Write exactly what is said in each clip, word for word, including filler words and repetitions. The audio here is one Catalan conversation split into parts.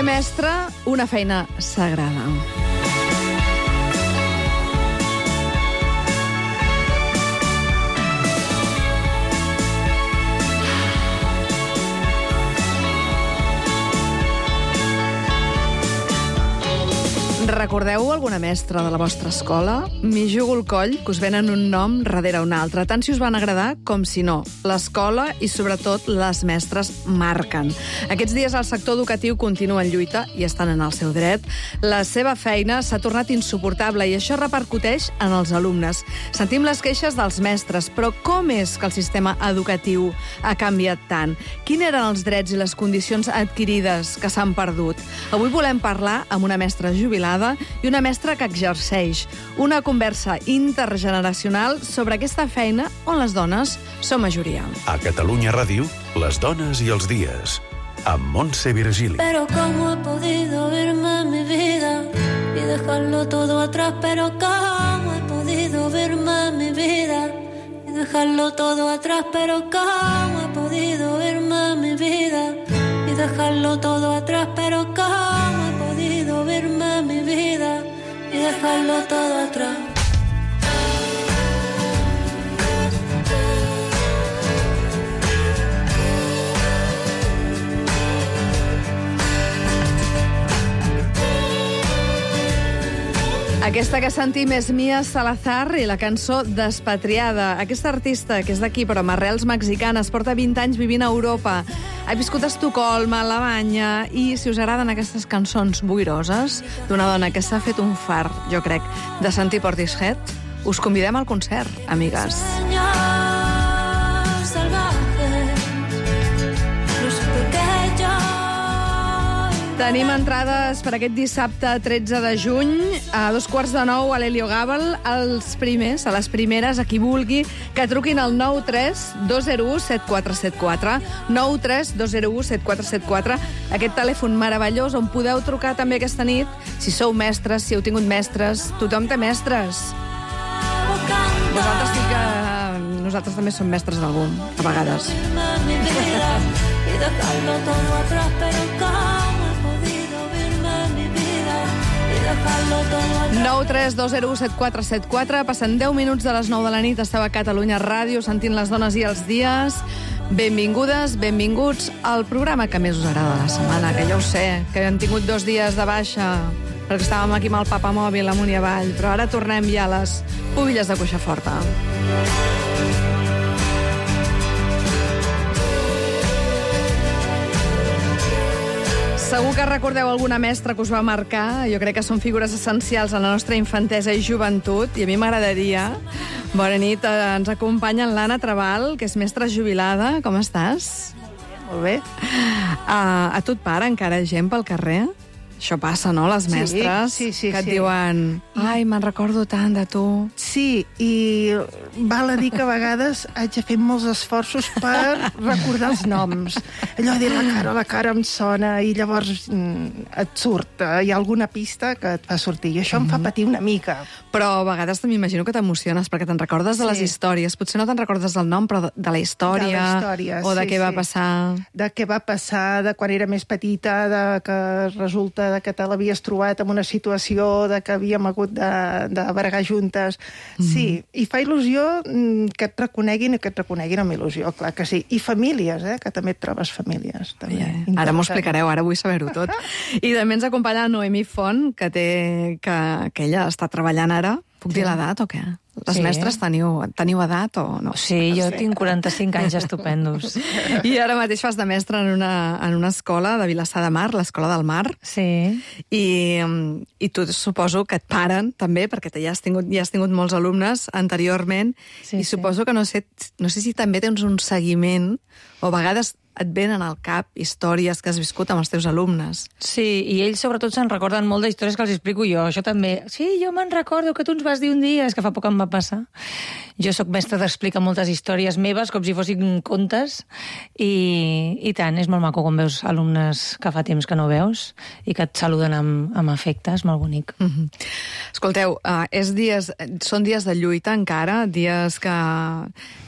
Ser mestre, una feina sagrada. Recordeu alguna mestra de la vostra escola? M'hi jugo el coll, que us venen un nom darrere un altre, tant si us van agradar com si no. L'escola i, sobretot, les mestres marquen. Aquests dies el sector educatiu continua en lluita i estan en el seu dret. La seva feina s'ha tornat insuportable i això repercuteix en els alumnes. Sentim les queixes dels mestres, però com és que el sistema educatiu ha canviat tant? Quins eren els drets i les condicions adquirides que s'han perdut? Avui volem parlar amb una mestra jubilada i una mestra que exerceix. Una conversa intergeneracional sobre aquesta feina on les dones són majoria. A Catalunya Ràdio, les dones i els dies, amb Montse Virgili. Pero cómo he podido irme mi vida y dejarlo todo atrás, pero cómo he podido verme mi vida y dejarlo todo atrás, pero cómo he podido irme mi vida y dejarlo todo atrás, pero cómo he podido verme mi vida y dejarlo todo atrás. Aquesta que sentim és Mia Salazar i la cançó Despatriada. Aquesta artista, que és d'aquí però amb arrels mexicanes, porta vint anys vivint a Europa. Ha viscut a Estocolm, a Alemanya, i si us agraden aquestes cançons boiroses d'una dona que s'ha fet un far, jo crec, de sentir Portishead, us convidem al concert, amigues. Tenim entrades per aquest dissabte tretze de juny a dos quarts de nou a l'Helio Gàbal. Els primers, a les primeres, a qui vulgui, que truquin al nou tres dos zero u set quatre set quatre, nou tres dos zero u set quatre set quatre, aquest telèfon meravellós on podeu trucar també aquesta nit, si sou mestres, si heu tingut mestres, tothom té mestres. Vosaltres sí que... Nosaltres també som mestres d'algú, a vegades. nou tres dos zero u set quatre set quatre. Passen deu minuts de les nou de la nit. Esteu a Catalunya Ràdio sentint les dones i els dies. Benvingudes, benvinguts al programa que més us agrada de la setmana, que ja ho sé, que hem tingut dos dies de baixa perquè estàvem aquí amb el papamòbil amunt i avall, però ara tornem ja a les pubilles de Cuixaforta. Segur que recordeu alguna mestra que us va marcar. Jo crec que són figures essencials a la nostra infantesa i joventut, i a mi m'agradaria. Bona nit, ens acompanya l'Anna Trabal, que és mestra jubilada. Com estàs? Molt bé. Uh, a tu et para encara gent pel carrer? Això passa, no, les mestres? Sí, sí, sí. Que et sí. diuen, ai, me'n recordo tant de tu. Sí, i val a dir que a vegades haig de fer molts esforços per recordar els noms. Allò de dir la cara, la cara em sona, i llavors mm, et surt. Hi ha alguna pista que et fa sortir, i això em fa patir una mica. Però a vegades m'imagino que t'emociones, perquè te'n recordes de les Sí. històries. Potser no te'n recordes del nom, però de la història. De la història, o de sí, què va sí. passar. De què va passar, de quan era més petita, de que resulta de que te l'havies trobat en una situació de que havíem hagut de, de bregar juntes. Sí, i fa il·lusió mm, que et reconeguin i que et reconeguin amb il·lusió, clar que sí. I famílies, eh, que també et trobes famílies. També. Yeah. Ara m'ho explicareu, ara vull saber-ho tot. I també ens acompanya la Noemí Font, que, té, que, que ella està treballant ara. Puc dir l'edat o què? Les Sí. mestres teniu, teniu edat o no? Sí, jo tinc quaranta-cinc anys estupendos. I ara mateix fas de mestra en una, en una escola de Vilassar de Mar, l'Escola del Mar. Sí. I, i tu suposo que et paren també, perquè ja has tingut, ja has tingut molts alumnes anteriorment, Sí, i sí. suposo que no sé, no sé si també tens un seguiment, o a vegades et venen al cap històries que has viscut amb els teus alumnes. Sí, i ells sobretot se'n recorden molt d'històries que els explico jo. Això també. Sí, jo me'n recordo que tu ens vas dir un dia, és que fa poc em va passar. Jo sóc mestra d'explicar moltes històries meves, com si fossin contes, i, i tant, és molt maco quan veus alumnes que fa temps que no veus i que et saluden amb, amb afecte, és molt bonic. Mm-hmm. Escolteu, uh, és dies, són dies de lluita encara, dies que,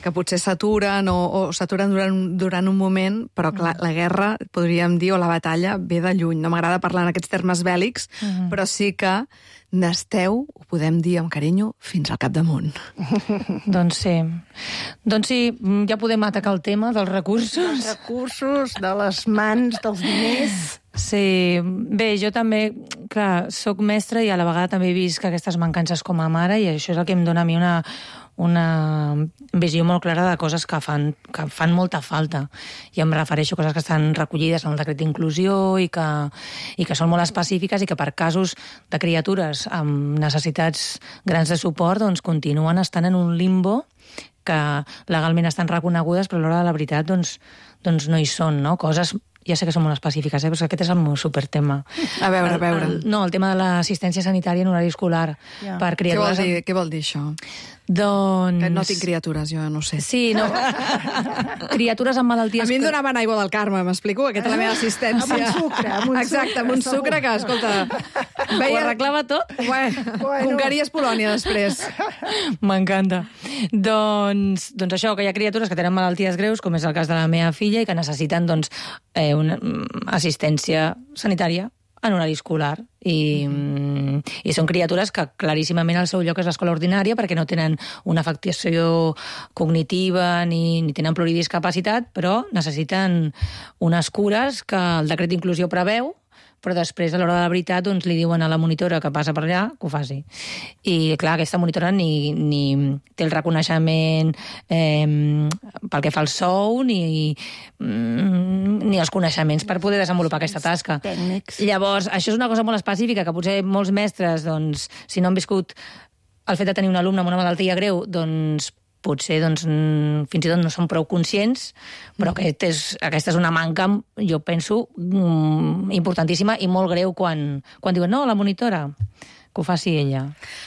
que potser s'aturen o, o s'aturen durant, durant un moment, llunyament, però clar, la guerra, podríem dir, o la batalla, ve de lluny. No m'agrada parlar en aquests termes bèl·lics, mm. però sí que n'esteu, ho podem dir amb carinyo, fins al capdamunt. Doncs sí. Doncs sí, ja podem atacar el tema dels recursos. Els recursos, de les mans, dels diners... Sí, bé, jo també, clar, soc mestra i a la vegada també he vist que aquestes mancances com a mare, i això és el que em dona a mi una, una visió molt clara de coses que fan, que fan molta falta. I em refereixo a coses que estan recollides en el decret d'inclusió i que, i que són molt específiques i que per casos de criatures amb necessitats grans de suport doncs continuen estant en un limbo que legalment estan reconegudes, però a l'hora de la veritat doncs, doncs no hi són, no? Coses... Ja sé que són molt específiques, eh? Però aquest és el meu supertema. A veure, a veure. El, el, no, el tema de l'assistència sanitària en horari escolar. Ja. Per criatures... Què vol dir, què vol dir això? Doncs... Que no tinc criatures, jo no ho sé. Sí, no. Criatures amb malalties... A mi em donaven aigua del Carme, m'explico? Aquesta és la meva assistència. Amb un sucre, amb un Exacte, sucre, amb un segur. sucre que, escolta... Veia... Ho arreglava tot? Bueno, Bueno. conqueries Polònia després. M'encanta. Doncs, doncs això, que hi ha criatures que tenen malalties greus, com és el cas de la meva filla, i que necessiten doncs, eh, una mm, assistència sanitària en horari escolar. I, mm. i són criatures que claríssimament el seu lloc és l'escola ordinària perquè no tenen una afectació cognitiva ni, ni tenen pluridiscapacitat, però necessiten unes cures que el decret d'inclusió preveu, però després, a l'hora de la veritat, doncs, li diuen a la monitora que passa per allà que ho faci. I, clar, aquesta monitora ni, ni té el reconeixement eh, pel que fa al sou, ni, ni els coneixements per poder desenvolupar aquesta tasca. Tècnics. Llavors, això és una cosa molt específica, que potser molts mestres, doncs, si no han viscut el fet de tenir un alumne amb una malaltia greu, doncs, potser doncs, fins i tot no són prou conscients, però aquest és, aquesta és una manca, jo penso, importantíssima i molt greu quan, quan diuen no, la monitora, que ho faci ella.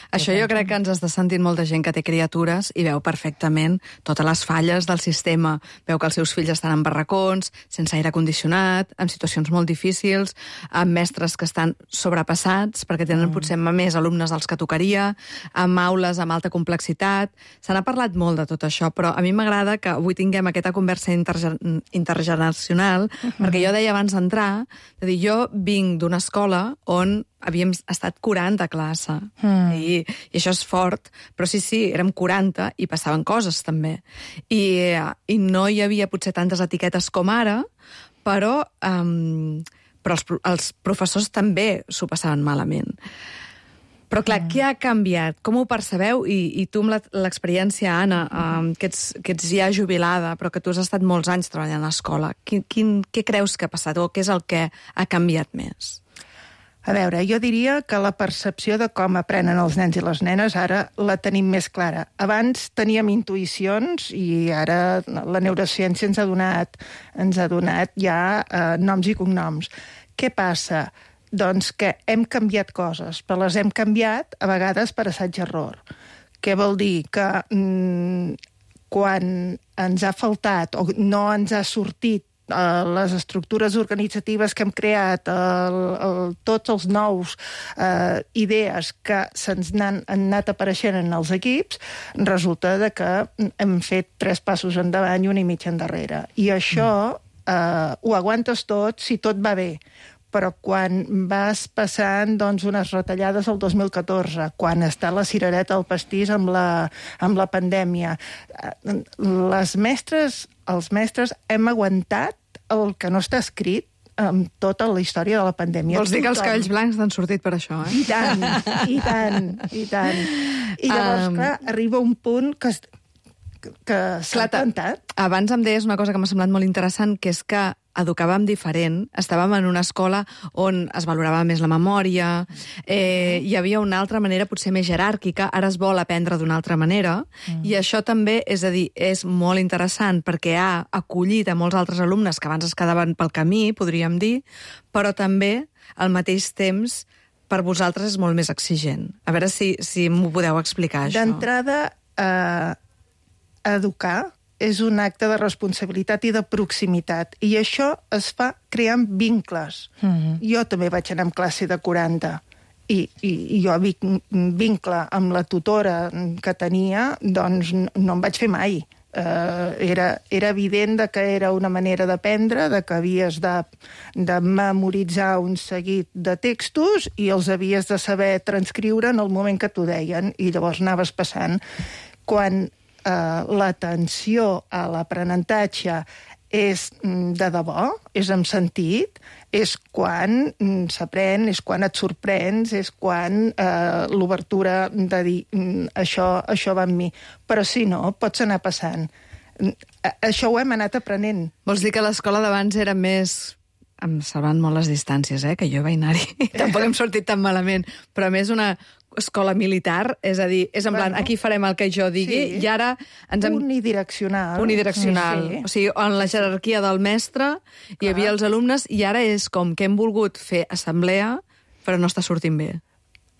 Això jo crec que ens està sentint molta gent que té criatures i veu perfectament totes les falles del sistema. Veu que els seus fills estan en barracons, sense aire condicionat, en situacions molt difícils, amb mestres que estan sobrepassats perquè tenen mm. potser més alumnes dels que tocaria, amb aules amb alta complexitat. Se n'ha parlat molt de tot això, però a mi m'agrada que avui tinguem aquesta conversa interge- intergeneracional, mm-hmm. perquè jo deia abans d'entrar, de dir, jo vinc d'una escola on havíem estat quaranta a classe. Mm. I, I això és fort, però sí, sí, érem quaranta i passaven coses també. I, i no hi havia potser tantes etiquetes com ara, però, um, però els, els professors també s'ho passaven malament. Però clar, mm. què ha canviat? Com ho percebeu? I, i tu amb l'experiència, Anna, um, que, ets, que ets ja jubilada, però que tu has estat molts anys treballant a l'escola, quin, quin, què creus que ha passat o què és el que ha canviat més? A veure, jo diria que la percepció de com aprenen els nens i les nenes ara la tenim més clara. Abans teníem intuïcions i ara la neurociència ens ha donat, ens ha donat ja eh, noms i cognoms. Què passa? Doncs que hem canviat coses, però les hem canviat a vegades per assaig-error. Què vol dir? Que mm, quan ens ha faltat o no ens ha sortit les estructures organitzatives que hem creat, el, el, tots els nous eh, idees que se'ns han, han anat apareixent en els equips, resulta de que hem fet tres passos endavant i un i mig endarrere. I això eh, ho aguantes tot si tot va bé. Però quan vas passant doncs, unes retallades el dos mil catorze, quan està la cirereta al pastís amb la, amb la pandèmia, les mestres, els mestres hem aguantat el que no està escrit amb tota la història de la pandèmia. Vols dir que els cabells blancs t'han sortit per això, eh? I tant, i tant, i tant. I llavors, um... clar, arriba un punt que, que s'ha plantat. Abans em deies una cosa que m'ha semblat molt interessant, que és que educàvem diferent, estàvem en una escola on es valorava més la memòria, eh, hi havia una altra manera potser més jeràrquica, ara es vol aprendre d'una altra manera, mm. i això també, és a dir, és molt interessant perquè ha acollit a molts altres alumnes que abans es quedaven pel camí, podríem dir, però també, al mateix temps, per vosaltres és molt més exigent. A veure si, si m'ho podeu explicar, això. D'entrada, eh, educar és un acte de responsabilitat i de proximitat. I això es fa creant vincles. Mm-hmm. Jo també vaig anar amb classe de quaranta. I, i, i jo vincle amb la tutora que tenia, doncs no em vaig fer mai. Uh, era, era evident de que era una manera d'aprendre, de que havies de, de memoritzar un seguit de textos i els havies de saber transcriure en el moment que t'ho deien, i llavors anaves passant. Quan uh, l'atenció a l'aprenentatge és de debò, és amb sentit, és quan s'aprèn, és quan et sorprens, és quan eh, l'obertura de dir això, això va amb mi. Però si no, pots anar passant. Això ho hem anat aprenent. Vols dir que l'escola d'abans era més... Em salvant molt les distàncies, eh, que jo vaig anar-hi. Tampoc hem sortit tan malament, però més una escola militar, és a dir, és en plan, bueno, aquí farem el que jo digui, sí. I ara ens hem... Unidireccional. Unidireccional. Sí, sí. O sigui, en la jerarquia del mestre Clar. Hi havia els alumnes, i ara és com que hem volgut fer assemblea, però no està sortint bé.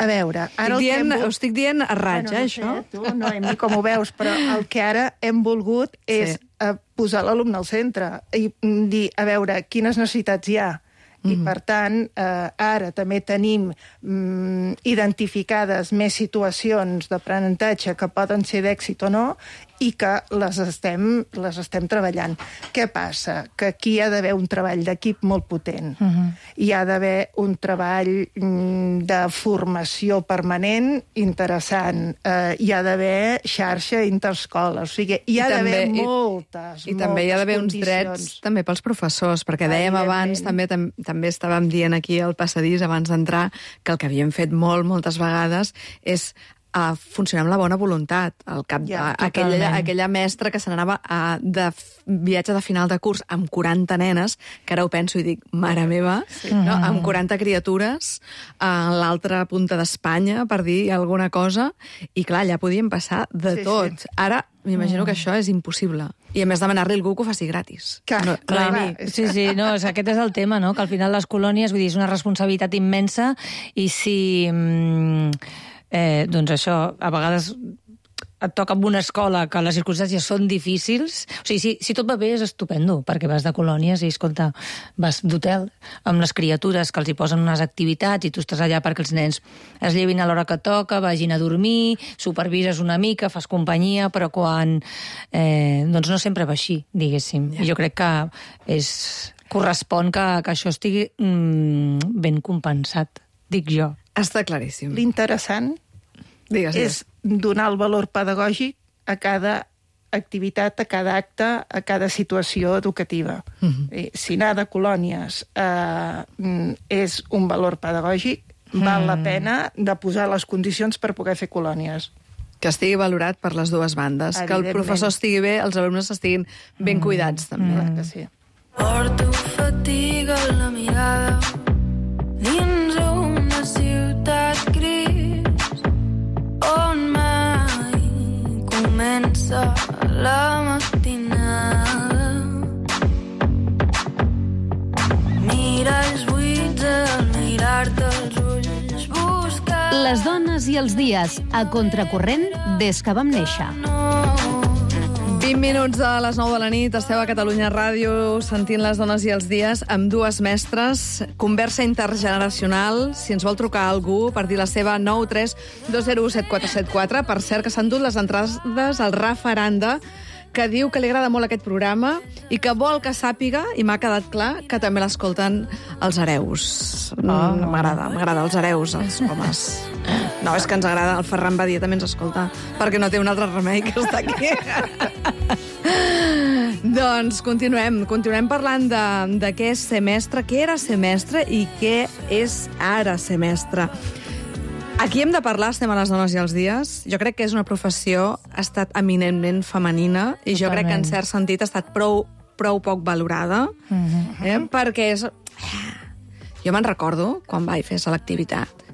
A veure, ara... Estic dient, vol... ho estic dient a raig, bueno, eh, això? Sé, tu, no, ni com ho veus, però el que ara hem volgut és sí. posar l'alumne al centre i dir, a veure, quines necessitats hi ha. I, mm-hmm. per tant, eh, ara també tenim mm, identificades més situacions d'aprenentatge que poden ser d'èxit o no i que les estem, les estem treballant. Què passa? Que aquí hi ha d'haver un treball d'equip molt potent. Mm-hmm. Hi ha d'haver un treball mm, de formació permanent interessant. Eh, hi ha d'haver xarxa interescoles. O sigui, hi ha d'haver moltes, i, moltes I també hi ha d'haver uns drets també pels professors, perquè dèiem abans, també tam, també estàvem dient aquí al passadís abans d'entrar, que el que havíem fet molt, moltes vegades és a funcionar amb la bona voluntat. El cap, ja, aquella, aquella mestra que se n'anava a, de viatge de final de curs amb quaranta nenes, que ara ho penso i dic, mare meva, sí. no? Amb quaranta criatures a l'altra punta d'Espanya, per dir alguna cosa, i clar, allà podien passar de sí, tot. Sí. Ara m'imagino mm. que això és impossible. I a més demanar-li a algú que ho faci gratis. Clar, no, clar, no clar. Sí, sí, no, és, aquest és el tema, no? Que al final les colònies, vull dir, és una responsabilitat immensa i si... Mm, Eh, doncs això, a vegades et toca en una escola que les circumstàncies són difícils. O sigui, si, si tot va bé és estupendo, perquè vas de colònies i, escolta, vas d'hotel amb les criatures que els hi posen unes activitats i tu estàs allà perquè els nens es llevin a l'hora que toca, vagin a dormir, supervises una mica, fas companyia, però quan... Eh, doncs no sempre va així, diguéssim. Ja. I jo crec que és, correspon que, que això estigui mm, ben compensat, dic jo. Està claríssim. L'interessant digues, és digues. donar el valor pedagògic a cada activitat, a cada acte, a cada situació educativa. Uh-huh. Si anar de colònies eh, és un valor pedagògic, uh-huh. val la pena de posar les condicions per poder fer colònies. Que estigui valorat per les dues bandes, que el professor estigui bé, els alumnes estiguin ben cuidats, també. Mm. Clar que sí. Porto fatiga en la mirada dins una ciutat gris on mai comença la matinada. Miralls buits al mirar-te els ulls buscar... Les dones i els dies, a contracorrent des que vam néixer. vint minuts de les nou de la nit, esteu a Catalunya Ràdio sentint Les dones i els dies amb dues mestres, conversa intergeneracional. Si ens vol trucar algú per dir la seva, nou tres dos zero u set quatre set quatre. Per cert, que s'han dut les entrades al Rafa Aranda, que diu que li agrada molt aquest programa i que vol que sàpiga, i m'ha quedat clar, que també l'escolten els hereus. Oh. M'agrada, m'agrada els hereus, els homes. No, és que ens agrada, el Ferran Badia també ens escolta, perquè no té un altre remei que està aquí. Doncs continuem, continuem parlant de, de què és ser mestre, què era ser mestre i què és ara ser mestre. Aquí hem de parlar, estem a Les dones i els dies. Jo crec que és una professió, ha estat eminentment femenina, i jo Totalment. crec que en cert sentit ha estat prou, prou poc valorada, mm-hmm. eh? perquè és... Jo me'n recordo, quan vaig fer selectivitat,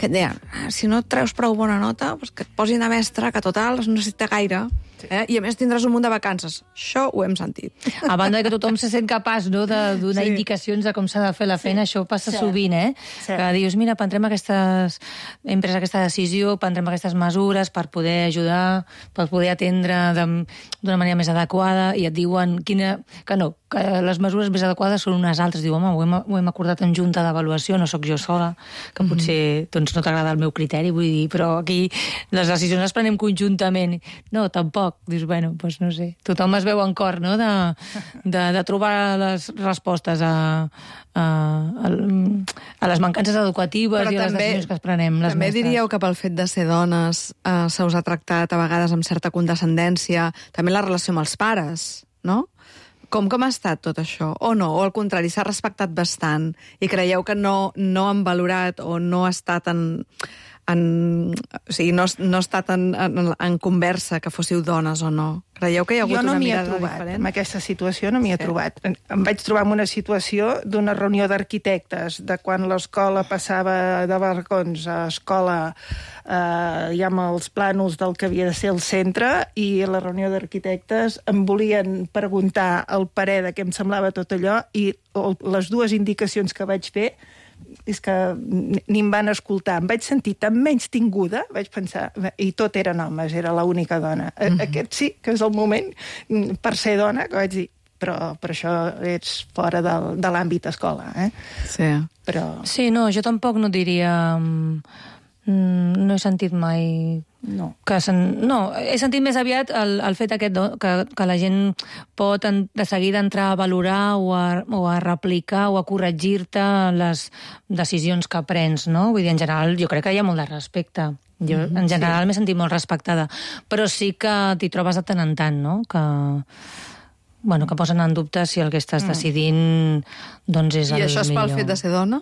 que et deien, si no et treus prou bona nota, doncs que et posin de mestre, que total no necessita gaire. Eh? I a més tindràs un munt de vacances. Això ho hem sentit. A banda que tothom se sent capaç, no, de donar sí. indicacions de com s'ha de fer la feina, sí. això passa sí. sovint, eh? Sí. Que dius, mira, prendrem aquestes... hem pres aquesta decisió, prendrem aquestes mesures per poder ajudar, per poder atendre d'una manera més adequada, i et diuen quina... que no, que les mesures més adequades són unes altres. Diu, home, ho hem, ho hem acordat en junta d'avaluació, no sóc jo sola, que potser doncs, no t'agrada el meu criteri, vull dir, però aquí les decisions les prenem conjuntament. No, tampoc. Dius, bueno, doncs no sé. Tothom es veu en cor, no?, de, de, de trobar les respostes a, a, a, a les mancances educatives però i a les decisions que es prenem les també mestres. Diríeu que pel fet de ser dones eh, se us ha tractat a vegades amb certa condescendència, també la relació amb els pares, no? Com, com ha estat tot això? O no? O al contrari, s'ha respectat bastant i creieu que no, no han valorat o no ha estat en... en o sigui, no, no ha estat en, en, en conversa que fóssiu dones o no? Creieu que hi ha hagut no una mirada trobat, diferent? en aquesta situació no m'hi he Sí. trobat. Em vaig trobar en una situació d'una reunió d'arquitectes, de quan l'escola passava de barracons a escola eh, ja amb els plànols del que havia de ser el centre, i a la reunió d'arquitectes em volien preguntar el parer de què em semblava tot allò, i les dues indicacions que vaig fer és que ni em van escoltar. Em vaig sentir tan menys tinguda, vaig pensar, i tot eren homes, era l'única dona. Mm-hmm. Aquest sí que és el moment, per ser dona, que vaig dir, però per això ets fora del, de l'àmbit escola, eh? Sí. Però... Sí, no, jo tampoc no diria... No he sentit mai... No. Que sen... No, he sentit més aviat el, el fet aquest no? que, que la gent pot en, de seguida entrar a valorar o a, o a replicar o a corregir-te les decisions que prens, no? Vull dir, en general, jo crec que hi ha molt de respecte. Jo, en general, sí. M'he sentit molt respectada. Però sí que t'hi trobes de tant en tant, no? Que... Bueno, que posen en dubte si el que estàs mm. decidint doncs és el millor. I això és pel fet de ser dona?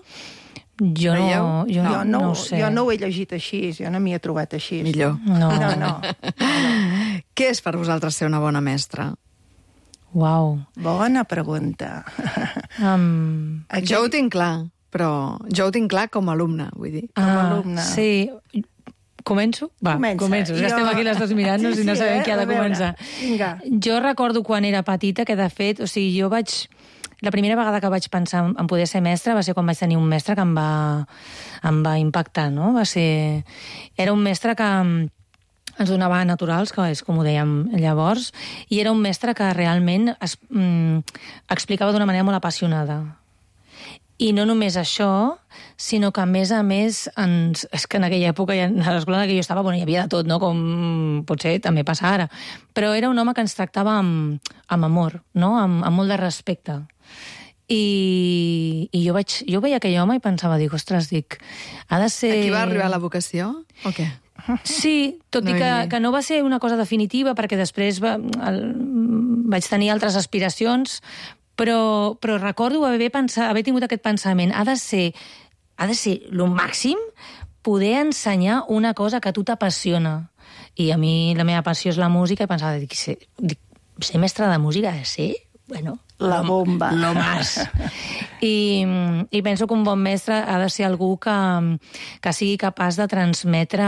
Jo no, jo no, jo no, no ho sé. Jo no ho he llegit així, jo no m'hi he trobat així. Millor. No. No, no. Què és per vosaltres ser una bona mestra? Uau. Bona pregunta. Um... Aquest... Jo ho tinc clar, però jo ho tinc clar com a alumne, vull dir. Com a ah, alumne. Sí. Començo? Va, Comença. començo. Ja Jo... estem aquí les dues mirant-nos sí, sí, i no sabem eh? qui ha de A veure. començar. Vinga. Jo recordo quan era petita que, de fet, o sigui, jo vaig... La primera vegada que vaig pensar en poder ser mestra va ser quan vaig tenir un mestre que em va, em va impactar, no? Va ser... Era un mestre que ens donava naturals, que és com ho dèiem llavors, i era un mestre que realment es, mm, explicava d'una manera molt apassionada. I no només això, sinó que, a més a més, ens, és que en aquella època, a l'escola en què jo estava, bueno, hi havia de tot, no? Com potser també passa ara. Però era un home que ens tractava amb, amb amor, no? Amb, amb molt de respecte. I, i jo, vaig, jo veia aquell home i pensava, dic, ostres, dic, ha de ser... Aquí va arribar la vocació, o què? Sí, tot no i que, hi... que no va ser una cosa definitiva, perquè després va, el, vaig tenir altres aspiracions, però, però recordo haver, pensat, haver tingut aquest pensament. Ha de ser, ha de ser lo màxim poder ensenyar una cosa que a tu t'apassiona. I a mi la meva passió és la música, i pensava, dic, ser, dic, ser mestre de música ha de ser... Bueno, la bomba. Lo más. I, I penso que un bon mestre ha de ser algú que, que sigui capaç de transmetre,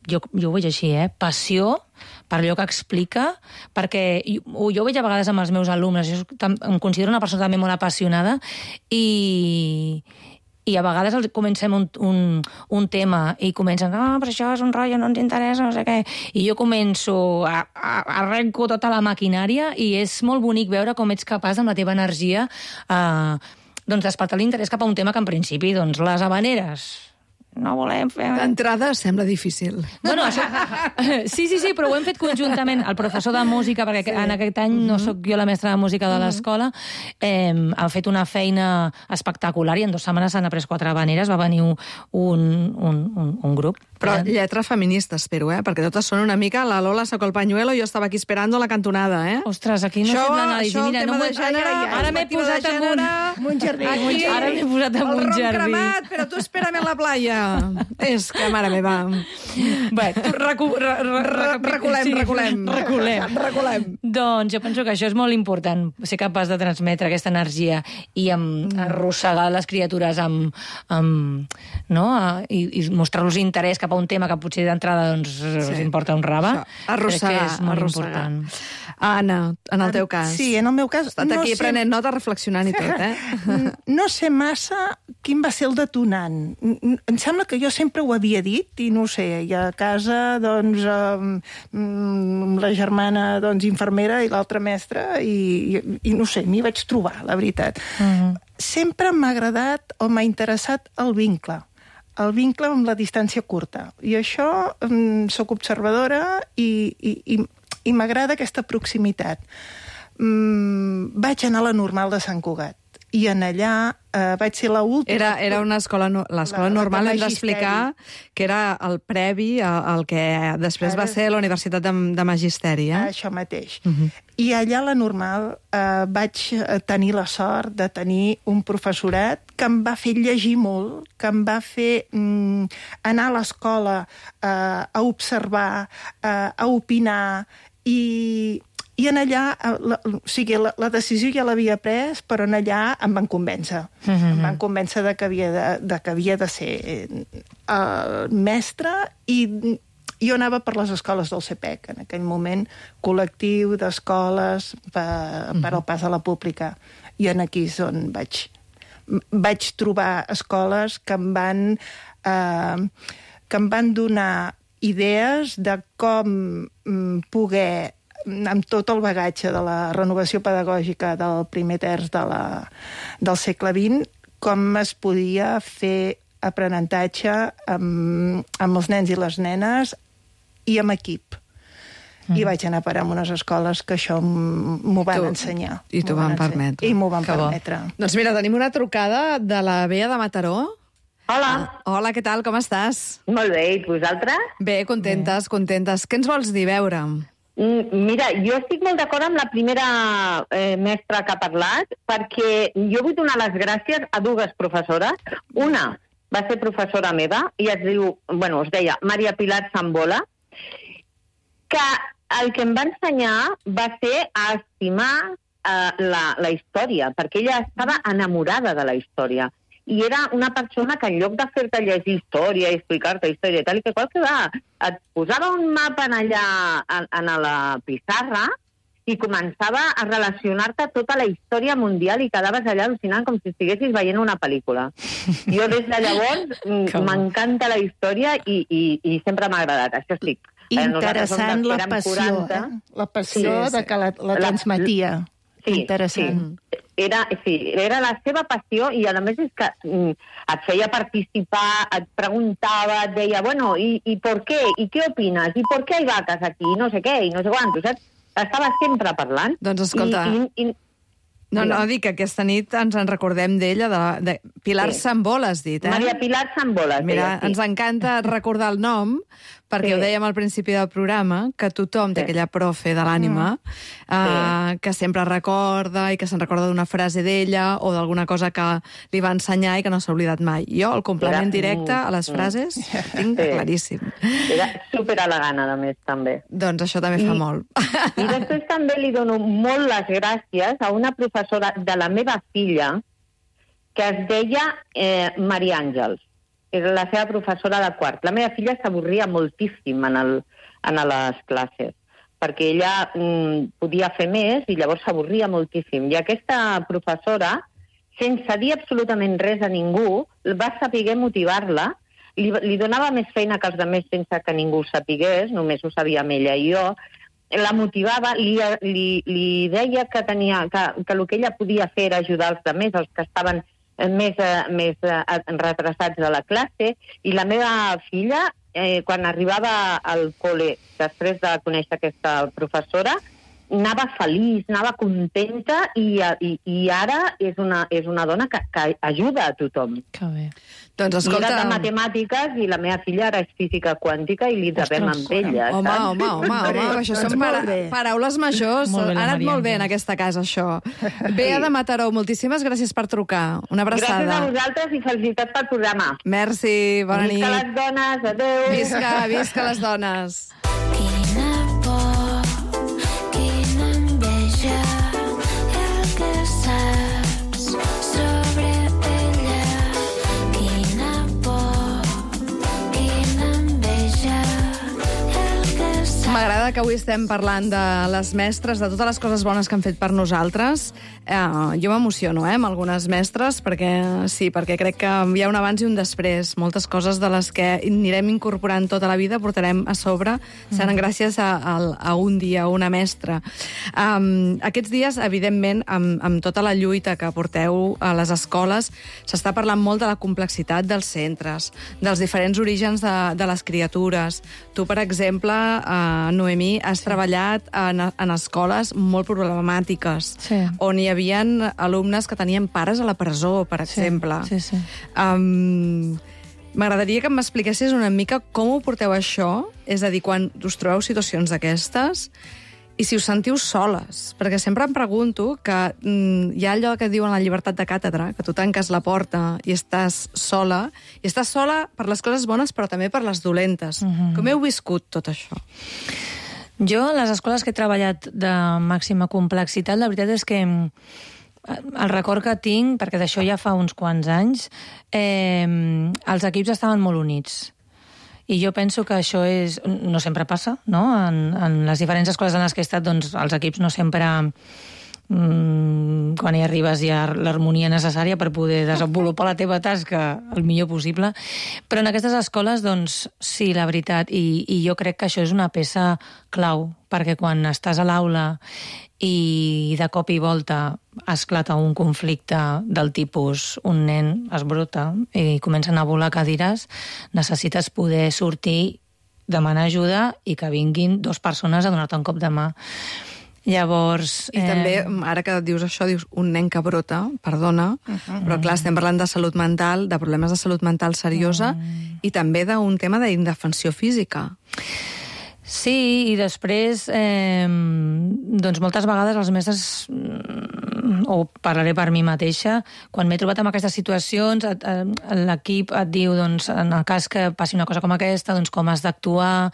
jo, jo ho veig així, eh? Passió per allò que explica, perquè jo, jo ho veig a vegades amb els meus alumnes, jo em considero una persona també molt apassionada, i... i a vegades comencem un, un, un tema i comencen, ah, però això és un rotllo, no ens interessa, no sé què. I jo començo, a, a, arrenco tota la maquinària i és molt bonic veure com ets capaç amb la teva energia eh, doncs despertar l'interès cap a un tema que en principi, doncs, les habaneres no volem fer... D'entrada sembla difícil. Bueno, això... Sí, sí, sí, però ho hem fet conjuntament. El professor de música, perquè sí. En aquest any no sóc jo la mestra de música de l'escola, eh, ha fet una feina espectacular i en dues setmanes s'han après quatre habaneres, va venir un, un, un, un grup. Però lletra feminista, espero, eh? Perquè totes són una mica la Lola sacó el pañuelo, jo estava aquí esperando la cantonada, eh? Ostres, aquí no això, sembla nada. Això, mira, el tema no de gènere... ai, ai, ara m'he posat en un... un jardí. Aquí, ara m'he posat en un el ron jardí. cremat, però tu espérame a la playa. És que, mare meva... Bé, recu, re, re, re, reculem, sí, reculem. Reculem. Reculem. Doncs jo penso que això és molt important, ser capaç de transmetre aquesta energia i amb, arrossegar les criatures amb, amb, no? I, i mostrar-los interès cap a un tema que potser d'entrada doncs, sí. us importa un rave. Arrossegar, Crec que és molt arrossegar. important. Anna, en el teu cas. Sí, en el meu cas... Has estat no aquí sé... prenent nota, reflexionant i tot, eh? No sé massa quin va ser el detonant. Em sembla sembla que jo sempre ho havia dit, i no ho sé, i a casa, doncs, eh, la germana, doncs, infermera i l'altra mestra, i, i, i no sé, m'hi vaig trobar, la veritat. Uh-huh. Sempre m'ha agradat o m'ha interessat el vincle, el vincle amb la distància curta. I això, um, soc observadora i, i, i, i m'agrada aquesta proximitat. Um, vaig anar a la Normal de Sant Cugat, i en allà eh, vaig ser l'última... Era, era una escola... No, l'escola normal, hem d'explicar que era el previ al que després Ara... va ser la Universitat de, de Magisteri, eh? Això mateix. Uh-huh. I allà a la Normal eh, vaig tenir la sort de tenir un professorat que em va fer llegir molt, que em va fer mm, anar a l'escola eh, a observar, eh, a opinar, i... I en allà, la, o sigui, la, la decisió ja l'havia pres, però en allà em van convèncer. Mm-hmm. Em van convèncer de que havia de, de, que havia de ser uh, mestre, i jo anava per les escoles del C P E C, en aquell moment, col·lectiu d'escoles per, mm-hmm. per al pas a la pública. I en aquí és on vaig, vaig trobar escoles que em van, uh, que em van donar idees de com um, poder, amb tot el bagatge de la renovació pedagògica del primer terç de la, del segle vint, com es podia fer aprenentatge amb, amb els nens i les nenes i amb equip. Mm. I vaig anar a parar a unes escoles que això m'ho van tu, ensenyar. I t'ho van permetre. I m'ho van que permetre. Bo. Doncs mira, tenim una trucada de la Bea de Mataró. Hola. Ah, hola, què tal, com estàs? Molt bé, i vosaltres? Bé, contentes, bé. contentes. Què ens vols dir, veure? Mira, jo estic molt d'acord amb la primera eh, mestra que ha parlat, perquè jo vull donar les gràcies a dues professores. Una va ser professora meva i es diu, bueno, es deia Maria Pilar Sambola, que el que em va ensenyar va ser a estimar eh, la, la història, perquè ella estava enamorada de la història. I era una persona que en lloc de fer-te llegir història i explicar-te història i tal, i que qual que va, et posava un mapa en allà, en, en la pissarra, i començava a relacionar-te tota la història mundial i quedaves allà al·lucinant com si estiguessis veient una pel·lícula. Jo des de llavors m'encanta la història i, i, i sempre m'ha agradat. Això estic. Interessant la passió, eh? La passió sí, de que la, la transmetia. Sí, interessant. Sí. Era, sí, era la seva passió i, a més, és que mm, et feia participar, et preguntava, et deia, bueno, i, i per què? I què opines? I per què hi vaques aquí? I no sé què, i no sé quant, saps? Estava sempre parlant. Doncs escolta... I, i, i... No, no, dic que aquesta nit ens en recordem d'ella, de, de Pilar sí. Sambola, has dit, eh? Maria Pilar Sambola. Mira, deia, sí. ens encanta recordar el nom, perquè sí. ho dèiem al principi del programa, que tothom té sí. aquella profe de l'ànima, mm. uh, sí. que sempre recorda i que se'n recorda d'una frase d'ella o d'alguna cosa que li va ensenyar i que no s'ha oblidat mai. Jo, el complement Era... directe a les frases, mm. tinc sí. claríssim. Era superelegant, a més, també. Doncs això també I, fa molt. I després també li dono molt les gràcies a una professora de la meva filla que es deia eh, Maria Àngels. Era la seva professora de quart. La meva filla s'avorria moltíssim en, el, en les classes, perquè ella mm, podia fer més i llavors s'avorria moltíssim. I aquesta professora, sense dir absolutament res a ningú, va saber motivar-la, li, li donava més feina que els altres sense que ningú ho sapigués, només ho sabíem ella i jo, la motivava, li, li, li deia que, tenia, que, que el que ella podia fer era ajudar els altres, els que estaven més, més retrasats de la classe, i la meva filla, eh, quan arribava al col·le, després de conèixer aquesta professora, anava feliç, anava contenta, i, i, i ara és una, és una dona que, que ajuda a tothom. Que bé. Doncs escolta... Era de matemàtiques i la meva filla era és física quàntica i li devem amb ella. Home, home, home, home, això són para paraules majors. Ha anat molt bé en aquesta casa, això. Bea de Mataró, moltíssimes gràcies per trucar. Una abraçada. Gràcies a vosaltres i felicitats pel programa. Merci, bona nit. Visca les dones, adéu. Visca, visca les dones. M'agrada que avui estem parlant de les mestres, de totes les coses bones que han fet per nosaltres. Eh, jo m'emociono, eh, amb algunes mestres, perquè sí, perquè crec que hi ha un abans i un després. Moltes coses de les que anirem incorporant tota la vida portarem a sobre, seran gràcies a, a, a un dia, a una mestra. Um, aquests dies, evidentment, amb, amb tota la lluita que porteu a les escoles, s'està parlant molt de la complexitat dels centres, dels diferents orígens de, de les criatures. Tu, per exemple, uh, Noemí, has sí. treballat en, en escoles molt problemàtiques, sí. on hi havia alumnes que tenien pares a la presó, per exemple. Sí, sí, sí. Um, M'agradaria que m'expliquessis una mica com ho porteu això, és a dir, quan us trobeu situacions d'aquestes, i si us sentiu soles, perquè sempre em pregunto que mm, hi ha allò que diuen la llibertat de càtedra, que tu tanques la porta i estàs sola, i estàs sola per les coses bones però també per les dolentes. Uh-huh. Com heu viscut tot això? Jo, a les escoles que he treballat de màxima complexitat, la veritat és que el record que tinc, perquè d'això ja fa uns quants anys, eh, els equips estaven molt units. I jo penso que això és, no sempre passa, no? En, en les diferents escoles en les que he estat, doncs, els equips no sempre, mmm, quan hi arribes, hi ha l'harmonia necessària per poder desenvolupar la teva tasca el millor possible. Però en aquestes escoles, doncs, sí, la veritat, i, i jo crec que això és una peça clau, perquè quan estàs a l'aula i de cop i volta esclata un conflicte del tipus un nen es brota i comencen a volar cadires, necessites poder sortir, demanar ajuda i que vinguin dues persones a donar-te un cop de mà. Llavors... I eh... també, ara que dius això, dius un nen que brota, perdona, uh-huh. però clar, estem parlant de salut mental, de problemes de salut mental seriosa, uh-huh. i també d'un tema d'indefensió física. Sí, i després, eh, doncs moltes vegades els mestres, o parlaré per mi mateixa, quan m'he trobat en aquestes situacions, et, et, l'equip et diu, doncs, en el cas que passi una cosa com aquesta, doncs com has d'actuar,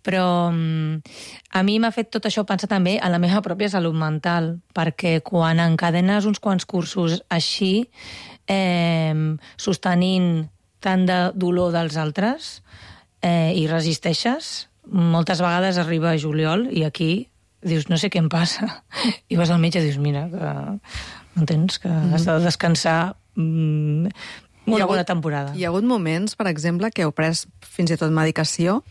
però a mi m'ha fet tot això pensar també en la meva pròpia salut mental, perquè quan encadenes uns quants cursos així, eh, sostenint tant de dolor dels altres, eh, i resisteixes, moltes vegades arriba a juliol i aquí dius, no sé què em passa. I vas al metge i dius, mira, que entens que mm. has de descansar mm, una bona temporada. Hi ha hagut moments, per exemple, que heu pres fins i tot medicació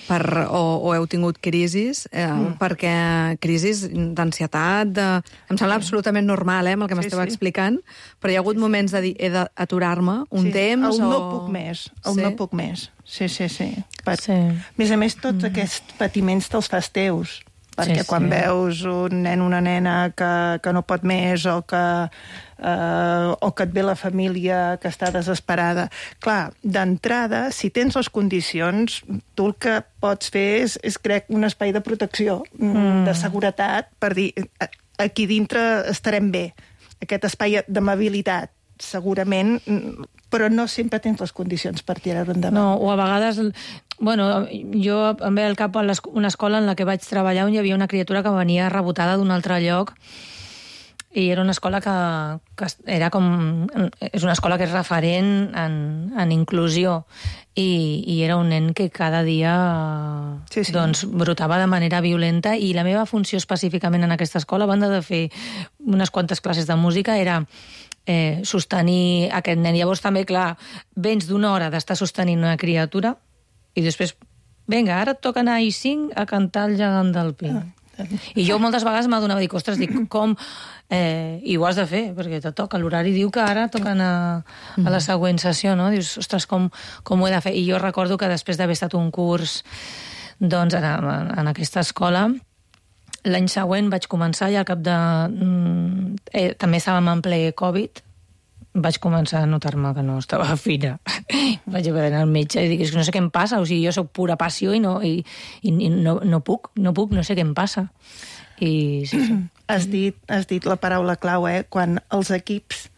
per, o, o heu tingut crisis, eh, mm. perquè crisis d'ansietat, de... em sembla absolutament normal, eh, amb el que m'esteu sí, sí. explicant, però hi ha hagut sí, moments de dir, he d'aturar-me un sí. temps el o... no puc més, el sí? no puc més. Sí, sí, sí. Per... sí. A més a més, tots mm. aquests patiments te'ls fas teus, perquè sí, quan sí. veus un nen o una nena que, que no pot més o que, eh, o que et ve la família que està desesperada. Clar, d'entrada, si tens les condicions, tu el que pots fer és, és crec, un espai de protecció, mm. de seguretat, per dir, aquí dintre estarem bé. Aquest espai d'amabilitat, segurament, però no sempre tens les condicions per tirar-ho endavant. No, o a vegades... Bueno, jo em ve al cap una escola en la que vaig treballar on hi havia una criatura que venia rebotada d'un altre lloc i era una escola que, que era com... És una escola que és referent en, en inclusió i, i era un nen que cada dia sí, sí. doncs, brotava de manera violenta i la meva funció específicament en aquesta escola, a banda de fer unes quantes classes de música, era... Eh, sostenir aquest nen. Llavors també, clar, vens d'una hora d'estar sostenint una criatura i després, vinga, ara et toca anar a I cinc a cantar el gegant del pi. Ah, I jo moltes vegades m'adonava, dic, ostres, dic, com... Eh, i ho has de fer, perquè te toca. L'horari diu que ara toca anar a la següent sessió, no? Dius, ostres, com, com ho he de fer? I jo recordo que després d'haver estat un curs doncs, en, en aquesta escola, l'any següent vaig començar i al cap de... Eh, també estàvem en ple Covid, vaig començar a notar-me que no estava fina. Vaig haver d'anar al metge i dic, és que no sé què em passa, o sigui, jo soc pura passió i no, i, i no, no puc, no puc, no sé què em passa. I sí, sí. Has dit, has dit la paraula clau, eh? Quan els equips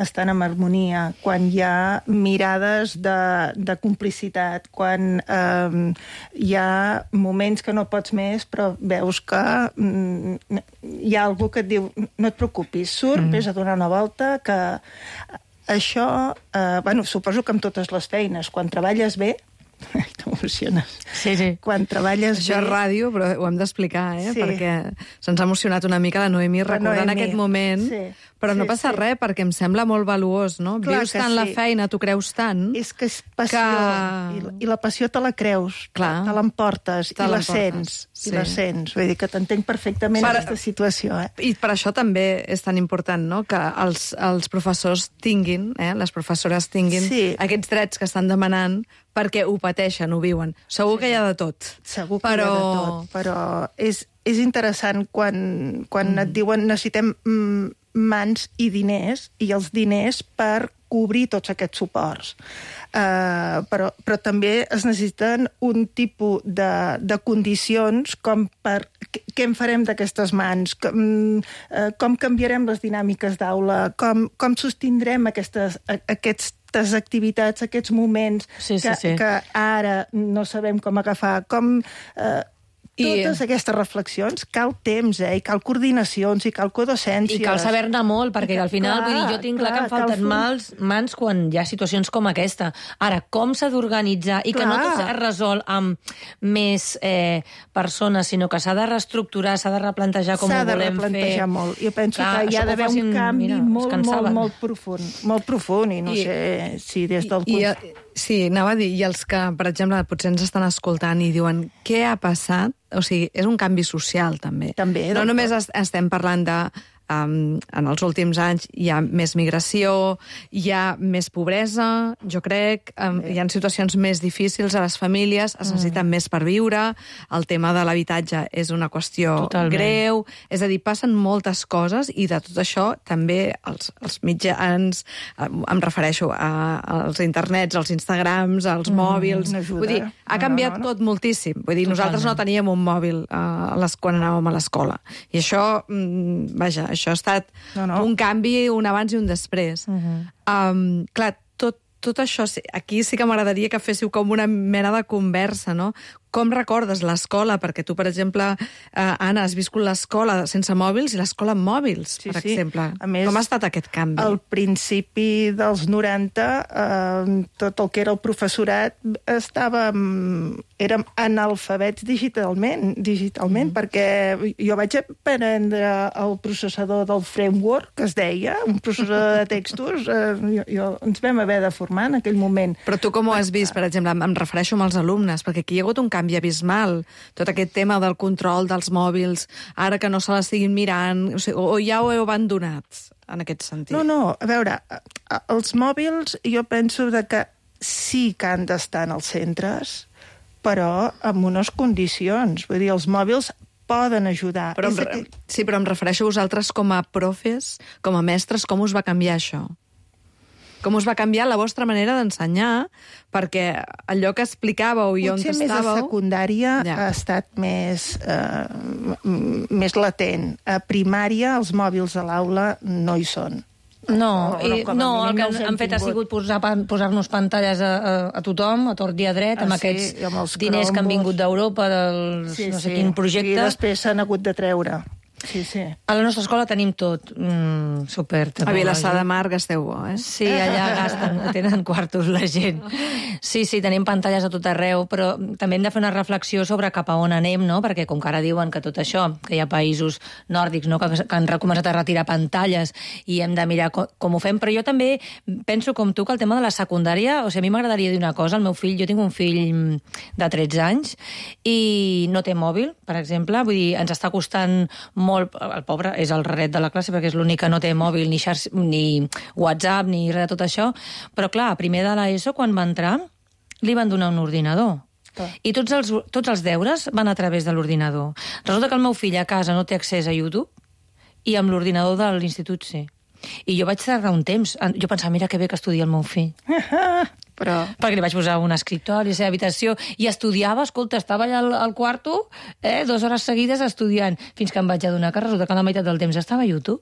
estan en harmonia, quan hi ha mirades de, de complicitat, quan eh, hi ha moments que no pots més, però veus que mm, hi ha algú que et diu no et preocupis, surt, mm. vés a donar una volta, que això, eh, bueno, suposo que amb totes les feines, quan treballes bé, T'emociones. Sí, sí. Quan treballes Això és bé... ràdio, però ho hem d'explicar, eh? Sí. Perquè se'ns ha emocionat una mica la Noemi La recordant Noemi. aquest moment, Sí. però no Sí, passa sí. res, perquè em sembla molt valuós, no? Clar Vius que tant la sí. feina, t'ho creus tant... És que és passió, Que- I, la, i la passió te la creus, Clar. te l'emportes, Te i la l'emportes, sents, sí. i la sents. Vull dir que t'entenc perfectament Per- aquesta situació, eh? I per això també és tan important, no?, que els, els professors tinguin, eh, les professores tinguin Sí. aquests drets que estan demanant perquè ho pateixen, ho viuen. Segur que hi ha de tot. Segur que però... hi ha de tot, però és, és interessant quan, quan mm. et diuen necessitem mm, mans i diners, i els diners per cobrir tots aquests suports. Uh, però, però també es necessiten un tipus de, de condicions com per... Què, què en farem d'aquestes mans? Com, uh, com canviarem les dinàmiques d'aula? Com, com sostindrem aquestes, a, aquestes activitats, aquests moments Sí, sí, que, sí. que ara no sabem com agafar? Com... Uh, I- totes aquestes reflexions cal temps, eh? I cal coordinacions, i cal codocències. I cal saber-ne molt, perquè al final, Clar, vull dir, jo tinc clar, clar, que em falten cal fer- mals, mans quan hi ha situacions com aquesta. Ara, com s'ha d'organitzar i que no Clar. tot s'ha resolt amb més eh, persones, sinó que s'ha de reestructurar, s'ha de replantejar com ho S'ha de volem fer. replantejar molt. Jo penso Clar, que hi això ha que ho d'haver facin, un canvi mira, es molt, molt, cansaven. molt profund. Molt profund, i no I- sé si des del... I, cons- i, sí, anava a dir, i els que, per exemple, potser ens estan escoltant i diuen què ha passat, o sigui, és un canvi social, també. També, No del només tot. es, estem parlant de... Um, en els últims anys hi ha més migració, hi ha més pobresa, jo crec, um, hi ha situacions més difícils a les famílies, es necessiten mm. més per viure, el tema de l'habitatge és una qüestió Totalment. greu, és a dir, passen moltes coses i de tot això també els, els mitjans, eh, em refereixo a, als internets, als Instagrams, als mm, mòbils... no ajuda. Vull dir, ha No, canviat no, no. tot moltíssim. Vull dir, Totalment. nosaltres no teníem un mòbil eh, a les, quan anàvem a l'escola. I això, mm, vaja, això ha estat No, no. un canvi, un abans i un després. Uh -huh. um, clar, tot, tot això, sí- aquí sí que m'agradaria que féssiu com una mena de conversa, no? Com recordes l'escola? Perquè tu, per exemple, eh, Anna, has viscut l'escola sense mòbils i l'escola amb mòbils, Sí, per sí. exemple. A més, com ha estat aquest canvi? Al principi dels noranta, eh, tot el que era el professorat estava... érem analfabets digitalment, digitalment mm. perquè jo vaig aprendre el processador del framework, que es deia, un processador de textos, eh, jo, jo, ens vam haver de formar en aquell moment. Però tu com ho has vist, per exemple? Em refereixo amb els alumnes, perquè aquí hi ha hagut un canvi abismal. Tot aquest tema del control dels mòbils, ara que no se l'estiguin mirant, o, sigui, o ja ho heu abandonat, en aquest sentit? No, no, a veure, els mòbils jo penso de que sí que han d'estar en els centres, però amb unes condicions. Vull dir, els mòbils poden ajudar. Però em, És re- aquell- sí, però em refereixo a vosaltres com a profes, com a mestres, com us va canviar això? Com us va canviar la vostra manera d'ensenyar? Perquè allò que explicàveu i on Potser més a estàveu... secundària Ja. ha estat més, eh, m- més latent. A primària els mòbils a l'aula no hi són. No, O- o i, com a no, el mínim que no els han, hem han fet ha tingut. sigut posar, pan- posar-nos pantalles a, a, a tothom, a tort i a dret, Ah, amb sí, aquests i amb els diners que han Chromebooks. vingut d'Europa, dels no sé quin projecte. I després s'han hagut de treure. Sí, sí. A la nostra escola tenim tot. Mm, super. A Vilassar de Mar gasteu bo, eh? Sí, allà gasten, tenen quartos la gent. Sí, sí, tenim pantalles a tot arreu, però també hem de fer una reflexió sobre cap a on anem, no? Perquè com que ara diuen que tot això, que hi ha països nòrdics, no?, que, que han començat a retirar pantalles i hem de mirar com, com ho fem, però jo també penso com tu que el tema de la secundària, o sigui, a mi m'agradaria dir una cosa, el meu fill, jo tinc un fill de tretze anys i no té mòbil, per exemple, vull dir, ens està costant molt, el pobre és el raret de la classe perquè és l'únic que no té mòbil, ni, xar... ni WhatsApp, ni res de tot això, però clar, a primer de l'ESO, quan va entrar, li van donar un ordinador. Clar. I tots els, tots els deures van a través de l'ordinador. Resulta que el meu fill a casa no té accés a YouTube i amb l'ordinador de l'institut sí. I jo vaig tardar un temps. Jo pensava, mira que bé que estudia el meu fill. Però... Perquè li vaig posar un escriptori a la seva habitació i estudiava, escolta, estava allà al, al quarto, eh, dues hores seguides estudiant, fins que em vaig adonar que resulta que la meitat del temps estava a YouTube.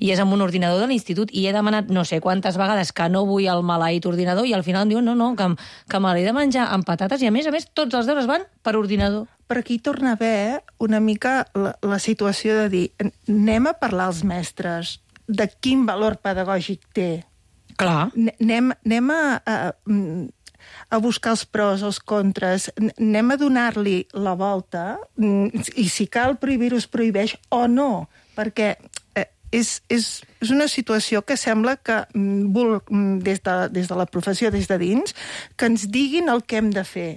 I és amb un ordinador de l'institut i he demanat no sé quantes vegades que no vull el maleït ordinador i al final em diuen no, no, que, que me l'he de menjar amb patates i a més a més tots els deures van per ordinador. Per aquí torna a haver una mica la, la situació de dir anem a parlar als mestres de quin valor pedagògic té. Clar. Anem, anem a, a, a buscar els pros, els contres, anem a donar-li la volta, i si cal prohibir-ho es prohibeix o no, perquè eh, és, és, és una situació que sembla que des de, des de la professió, des de dins, que ens diguin el que hem de fer.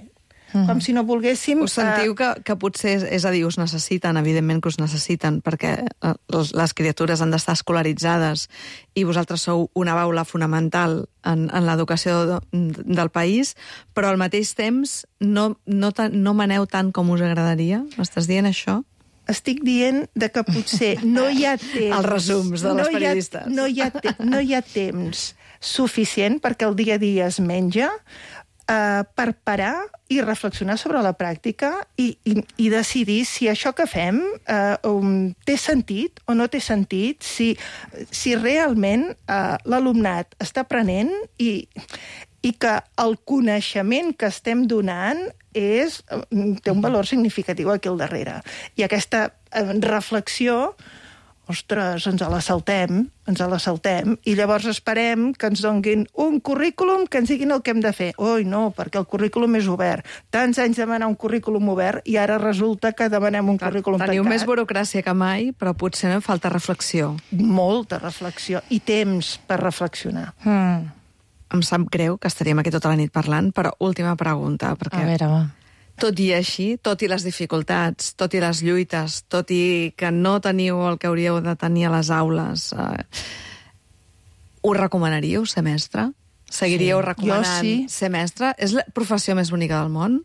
Mm. Com si no volguéssim... Us sentiu que, que potser, és a dir, us necessiten, evidentment que us necessiten, perquè les criatures han d'estar escolaritzades i vosaltres sou una baula fonamental en, en l'educació de, del país, però al mateix temps no, no, no maneu tant com us agradaria? M'estàs dient això? Estic dient de que potser no hi ha temps... Els resums de les no periodistes. Hi ha, no, hi ha te, no hi ha temps suficient perquè el dia a dia es menja, Uh, per parar i reflexionar sobre la pràctica i, i, i decidir si això que fem uh, um, té sentit o no té sentit, si, si realment uh, l'alumnat està aprenent i, i que el coneixement que estem donant és, té un valor significatiu aquí al darrere. I aquesta uh, reflexió, ostres, ens la saltem, ens la saltem, i llavors esperem que ens donguin un currículum que ens diguin el que hem de fer. Oi, no, perquè el currículum és obert. Tants anys demanar un currículum obert i ara resulta que demanem un Clar, currículum teniu tancat. Teniu més burocràcia que mai, però potser no falta reflexió. Molta reflexió, i temps per reflexionar. Mm. Em sap greu que estaríem aquí tota la nit parlant, però última pregunta, perquè... A veure, va. Tot i així, tot i les dificultats, tot i les lluites, tot i que no teniu el que hauríeu de tenir a les aules, eh, us recomanaríeu ser mestre? Seguiríeu sí. recomanant sí. ser mestre? És la professió més bonica del món?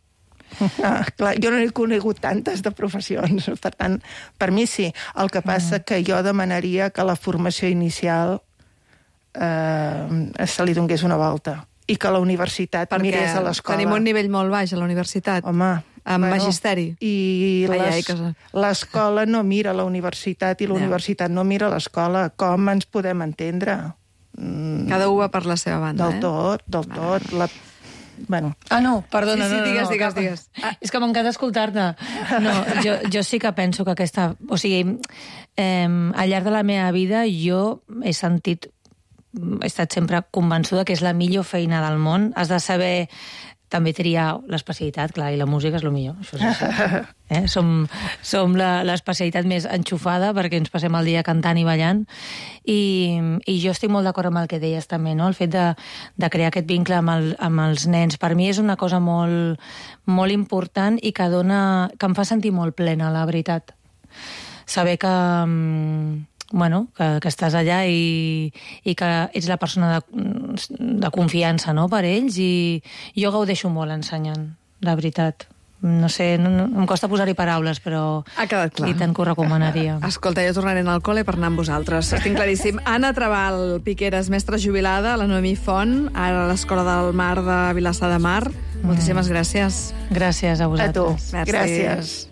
Ah, clar, jo no he conegut tantes de professions, per tant, per mi sí. El que passa mm. que jo demanaria que la formació inicial eh, se li donés una volta i que la universitat Perquè mirés a l'escola. tenim un nivell molt baix a la universitat. Home, amb bueno, magisteri. I ai, les, ai, que... l'escola no mira la universitat i la no. universitat no mira l'escola. Com ens podem entendre? Mm, Cada un va per la seva banda, del eh? tot, del tot. La... Bueno. Ah, no, perdona. Sí, sí, no, no, digues, no, digues, cap... digues. Ah, és que m'encanta escoltar-te. No, jo, jo sí que penso que aquesta... O sigui, eh, al llarg de la meva vida jo he sentit he estat sempre convençuda que és la millor feina del món. Has de saber també triar l'especialitat, clar, i la música és el millor. Això és així. Eh? Som, som l'especialitat més enxufada perquè ens passem el dia cantant i ballant. I, i jo estic molt d'acord amb el que deies també, no? El fet de, de crear aquest vincle amb, el, amb els nens. Per mi és una cosa molt, molt important i que, dona, que em fa sentir molt plena, la veritat. Saber que... bueno, que, que estàs allà i, i que ets la persona de, de confiança, no?, per ells, i jo gaudeixo molt ensenyant, de veritat. No sé, no, no, em costa posar-hi paraules, però ha quedat clar. I tant que ho recomanaria. Escolta, jo tornaré al col·le per anar amb vosaltres. Estic claríssim. Anna Trabal Piqueras, mestra jubilada, la Noemí Font, ara a l'Escola del Mar de Vilassar de Mar. Mm. Moltíssimes gràcies. Gràcies a vosaltres. A tu. Gràcies.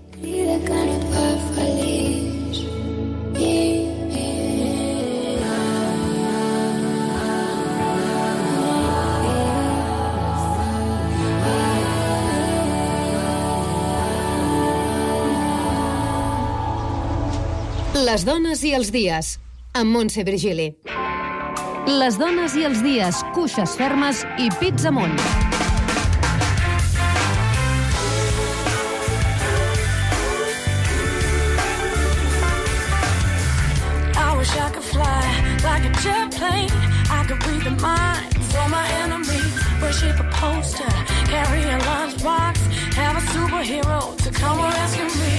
Les dones i els dies, amb Montse Virgili. Les dones i els dies, cuixes fermes i pits amunt. I wish I could fly like a jet plane. I could read the minds of my enemies. Worship a poster, carry a lunchbox, have a superhero to come rescue me.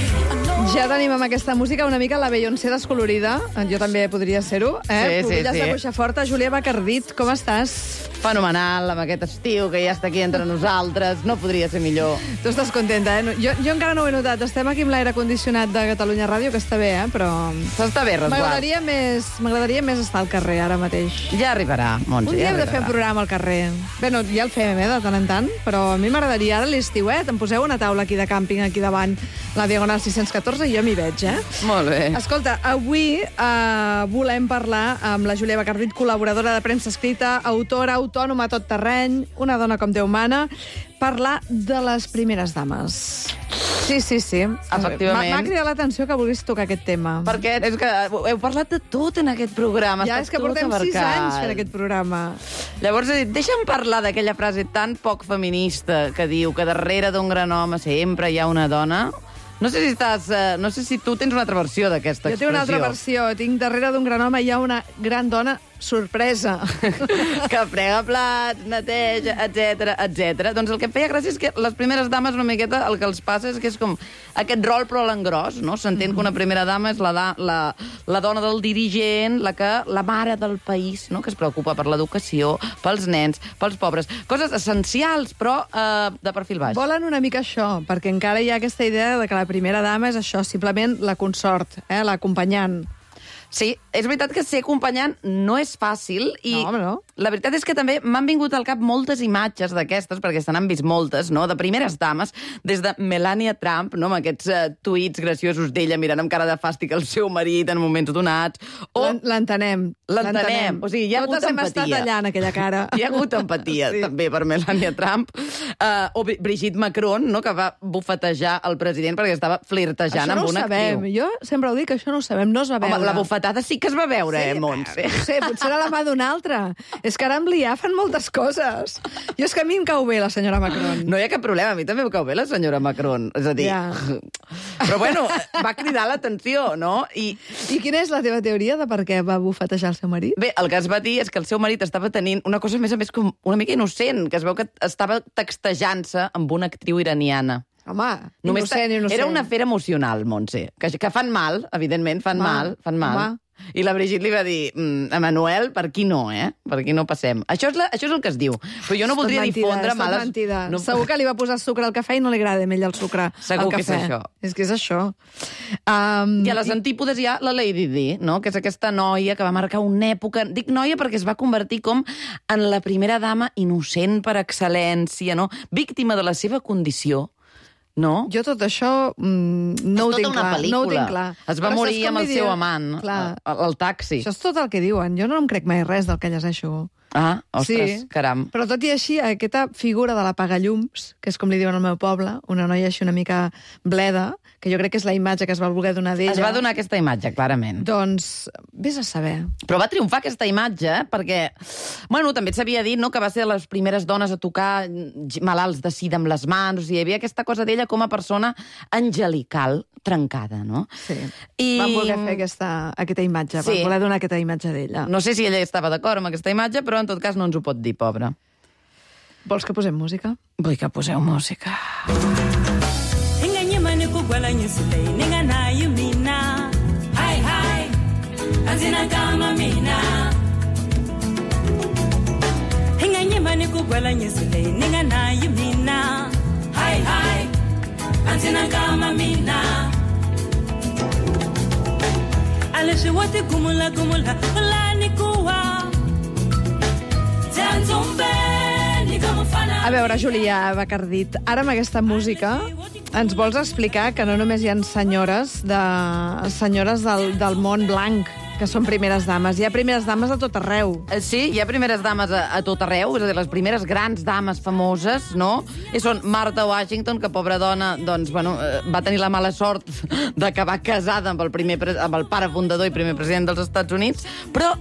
Ja tenim amb aquesta música una mica la Beyoncé descolorida. Jo també podria ser-ho, eh? Sí, sí, Pubilles sí. de cuixa forta. Júlia Bacardit, com estàs? Fenomenal, amb aquest estiu que ja està aquí entre nosaltres. No podria ser millor. Tu estàs contenta, eh? Jo, jo encara no ho he notat. Estem aquí amb l'aire condicionat de Catalunya Ràdio, que està bé, eh? Però... S'està bé, resguard. M'agradaria més, m'agradaria més estar al carrer ara mateix. Ja arribarà, Montse, Un dia ja hem de fer un programa al carrer. Bé, no, ja el fem, eh, de tant en tant, però a mi m'agradaria ara l'estiuet. Em poseu una taula aquí de càmping, aquí davant, la Diagonal sis-cents catorze, i jo m'hi veig, eh? Molt bé. Escolta, avui eh, volem parlar amb la Júlia Bacardit, col·laboradora de premsa escrita, autora, autònoma a tot terreny, una dona com Déu mana, parlar de les primeres dames. Sí, sí, sí. Efectivament. M'ha cridat l'atenció que vulguis tocar aquest tema. Perquè és que heu parlat de tot en aquest programa. Ja, està és que tot portem sis abarcat. anys fent aquest programa. Llavors, he dit, deixa'm parlar d'aquella frase tan poc feminista que diu que darrere d'un gran home sempre hi ha una dona. No sé si estàs... Eh, no sé si tu tens una altra versió d'aquesta Jo expressió. tinc una altra versió. Tinc darrere d'un gran home hi ha una gran dona sorpresa. que frega plats, neteja, etcètera, etcètera. Doncs el que em feia gràcia és que les primeres dames una miqueta el que els passa és que és com aquest rol però a l'engròs, no? S'entén que una primera dama és la, da, la, la dona del dirigent, la que la mare del país, no? Que es preocupa per l'educació, pels nens, pels pobres. Coses essencials, però eh, de perfil baix. Volen una mica això, perquè encara hi ha aquesta idea de que la primera dama és això, simplement la consort, eh, l'acompanyant. Sí, és veritat que ser acompanyant no és fàcil i No, home, no. la veritat és que també m'han vingut al cap moltes imatges d'aquestes, perquè se n'han vist moltes, no?, de primeres dames, des de Melania Trump, no?, amb aquests uh, tuits graciosos d'ella mirant amb cara de fàstic el seu marit en moments donats. O... L'entenem. L'entenem. O sigui, hi ha Totes hagut hem empatia. estat allà en aquella cara. Hi ha hagut empatia, Sí. també, per Melania Trump. Uh, o Bri- Brigitte Macron, no?, que va bufetejar el president perquè estava flirtejant Això no amb ho una sabem. actriu. Jo sempre ho dic, que això no ho sabem, no es va veure. Home, la bufetada sí que es va veure, eh, Montse? No sé, potser era la mà d'un altre. És que ara amb l'I A fan moltes coses. Jo és que a mi em cau bé la senyora Macron. No hi ha cap problema, a mi també em cau bé la senyora Macron. És a dir... Ja. Però bueno, va cridar l'atenció, no? I I quina és la teva teoria de per què va bufetejar el seu marit? bé, el que es va dir és que el seu marit estava tenint una cosa, a més a més, com una mica innocent, que es veu que estava textejant-se amb una actriu iraniana. Home, Només innocent, innocent. Era una afer emocional, Montse, que, que fan mal, evidentment, fan Home, mal, fan mal. home. I la Brigitte li va dir, mm, Emanuel, per aquí no, eh? Per aquí no passem. Això és, la, això és el que es diu. Però jo no voldria És tot mentida, difondre és tot males... mentida. No... Segur que li va posar sucre al cafè i no li agrada a ell el sucre Segur al que és cafè. això. És que és això. Um, I a les antípodes hi ha la Lady Di, no? Que és aquesta noia que va marcar una època... Dic noia perquè es va convertir com en la primera dama innocent per excel·lència, no? Víctima de la seva condició, no? Jo tot això mm, no, ho És tota tinc una clar, pel·lícula. no ho tinc clar. Es va Però morir saps com amb li el seu diuen? amant, Clar. al, al taxi. Això és tot el que diuen. Jo no em crec mai res del que llegeixo. Ah, ostres, Sí. caram. Però tot i així, aquesta figura de l'apagallums, que és com li diuen al meu poble, una noia així una mica bleda, que jo crec que és la imatge que es va voler donar d'ella... Es va donar aquesta imatge, clarament. Doncs, vés a saber. Però va triomfar aquesta imatge, eh? Perquè, bueno, també s'havia dit, no?, que va ser de les primeres dones a tocar malalts de sida amb les mans, o sigui, hi havia aquesta cosa d'ella com a persona angelical, trencada, no? Sí. I... Van voler fer aquesta, aquesta imatge, Sí. van voler donar aquesta imatge d'ella. No sé si ella estava d'acord amb aquesta imatge, però en tot cas no ens ho pot dir, pobra. Vols que posem música? Vull que poseu música. Inganyimani kugwalanya isilei ninganayo mina. Hi hi, azinagama mina. Inganyimani kugwalanya isilei ninganayo mina. Hi hi, azinagama mina. Aleshe wote gumula gumula ulani kuwa. Zanzumbeni kama fana. A veure, Julià Bacardit, ara amb aquesta música ens vols explicar que no només hi ha senyores, de, senyores del, del món blanc que són primeres dames. Hi ha primeres dames a tot arreu. Eh, Sí, hi ha primeres dames a, a tot arreu, és a dir, les primeres grans dames famoses, no? I són Martha Washington, que pobra dona, doncs, bueno, eh, va tenir la mala sort d'acabar casada amb el, primer, pre- amb el pare fundador i primer president dels Estats Units, però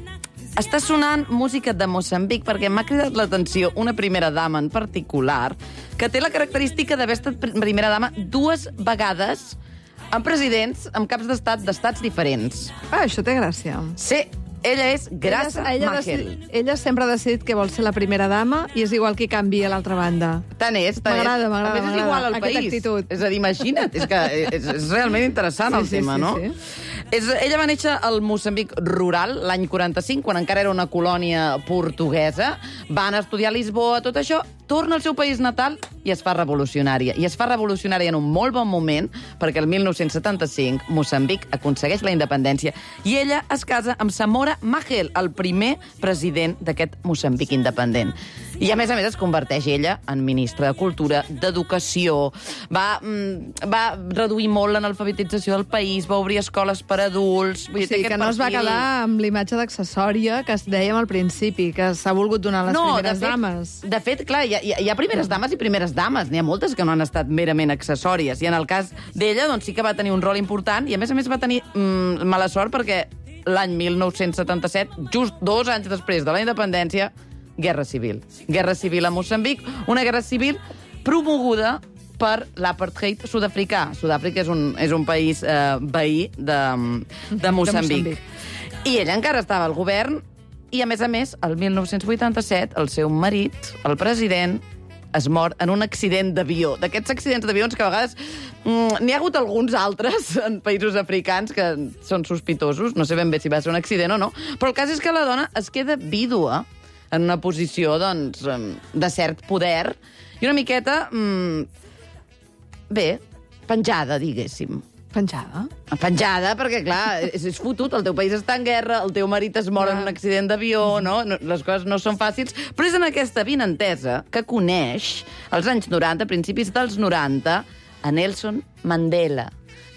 està sonant música de Moçambic perquè m'ha cridat l'atenció una primera dama en particular que té la característica d'haver estat pr- primera dama dues vegades amb presidents, amb caps d'estat d'estats diferents. Ah, això té gràcia. Sí, ella és Graça ella, ella, Machel. decid, ella sempre ha decidit que vol ser la primera dama i és igual qui canvia a l'altra banda. Tant és, tant és. M'agrada, m'agrada, A més, és m'agrada, igual al aquesta país. actitud. És a dir, imagina't, és que és, és realment interessant Sí, el sí, tema, sí, no? sí. És, ella va néixer al Moçambic rural l'any quaranta-cinc, quan encara era una colònia portuguesa. Va anar a estudiar a Lisboa, tot això, torna al seu país natal i es fa revolucionària. I es fa revolucionària en un molt bon moment, perquè el mil nou-cents setanta-cinc Moçambic aconsegueix la independència i ella es casa amb Samora Machel, el primer president d'aquest Moçambic independent. I a més a més es converteix ella en ministra de Cultura, d'Educació, va, mm, va reduir molt l'analfabetització del país, va obrir escoles per adults... O sigui, que no es va quedar amb l'imatge d'accessòria que es dèiem al principi, que s'ha volgut donar a les no, primeres de fet, dames. De fet, clar, hi ha, hi ha primeres dames i primeres dames. N'hi ha moltes que no han estat merament accessòries. I en el cas d'ella, doncs sí que va tenir un rol important i, a més a més, va tenir mm, mala sort perquè l'any mil nou-cents setanta-set, just dos anys després de la independència, Guerra Civil. Guerra Civil a Moçambic, una guerra civil promoguda per l'apartheid sud-africà. Sud-àfrica és un, és un país eh, veí de, de Moçambic. Moçambic. I ella encara estava al govern i, a més a més, el mil nou-cents vuitanta-set, el seu marit, el president, es mor en un accident d'avió. D'aquests accidents d'avions que a vegades mm, n'hi ha hagut alguns altres en països africans que són sospitosos, no sé ben bé si va ser un accident o no, però el cas és que la dona es queda vídua en una posició, doncs, de cert poder i una miqueta, mm, bé, penjada, diguéssim. Penjada? Penjada, perquè, clar, és, és fotut, el teu país està en guerra, el teu marit es mor en un accident d'avió, no? no? Les coses no són fàcils, però és en aquesta vinentesa que coneix, als anys noranta, principis dels noranta, a Nelson Mandela.